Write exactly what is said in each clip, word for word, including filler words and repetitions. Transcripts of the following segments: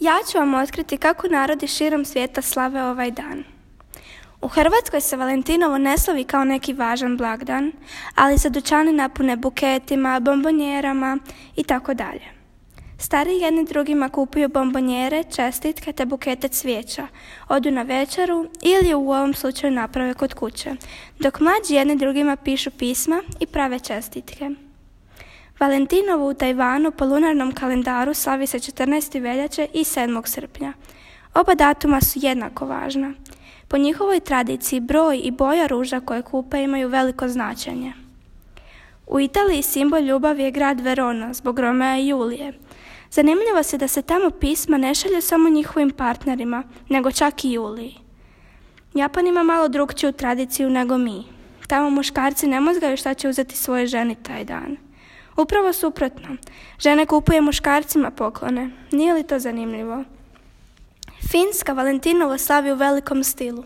Ja ću vam otkriti kako narodi širom svijeta slave ovaj dan. U Hrvatskoj se Valentinovo ne slavi kao neki važan blagdan, ali se dućani napune buketima, bombonjerama i tako dalje. Stariji jedni drugima kupuju bombonjere, čestitke te bukete cvijeća, odu na večeru ili u ovom slučaju naprave kod kuće, dok mlađi jedni drugima pišu pisma i prave čestitke. Valentinovo u Tajvanu po lunarnom kalendaru slavi se četrnaestog veljače i sedmog srpnja. Oba datuma su jednako važna. Po njihovoj tradiciji broj i boja ruža koje kupe imaju veliko značenje. U Italiji simbol ljubavi je grad Verona zbog Romea i Julije. Zanimljivo se da se tamo pisma ne šalju samo njihovim partnerima, nego čak i Juliji. Japan ima malo drukčiju tradiciju nego mi. Tamo muškarci ne mozgaju šta će uzeti svoje ženi taj dan. Upravo suprotno, žene kupuju muškarcima poklone. Nije li to zanimljivo? Finska Valentinovo slavi u velikom stilu.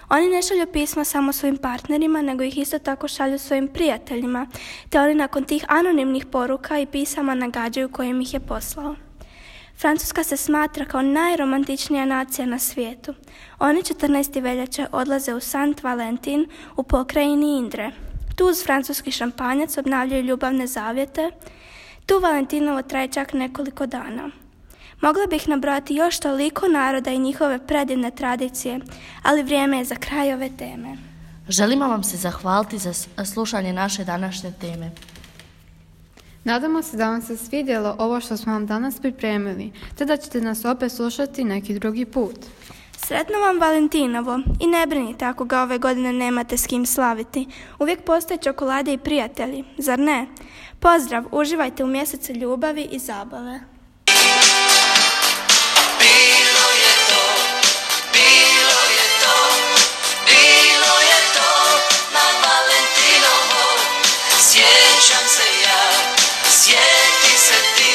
Oni ne šalju pisma samo svojim partnerima, nego ih isto tako šalju svojim prijateljima, te oni nakon tih anonimnih poruka i pisama nagađaju kojim ih je poslao. Francuska se smatra kao najromantičnija nacija na svijetu. Oni četrnaestog veljače odlaze u Saint Valentin u pokrajini Indre. Tu uz francuski šampanjac obnavljaju ljubavne zavjete. Tu Valentinovo traje čak nekoliko dana. Mogla bih nabrojati još toliko naroda i njihove predivne tradicije, ali vrijeme je za kraj ove teme. Želimo vam se zahvaliti za slušanje naše današnje teme. Nadamo se da vam se svidjelo ovo što smo vam danas pripremili, te da ćete nas opet slušati neki drugi put. Sretno vam Valentinovo i ne brinite ako ga ove godine nemate s kim slaviti. Uvijek postoje čokolade i prijatelji, zar ne? Pozdrav, uživajte u mjesecu ljubavi i zabave. Bilo je to, bilo je to, bilo je to na Valentinovo. Sjećam se ja, sjeti se ti.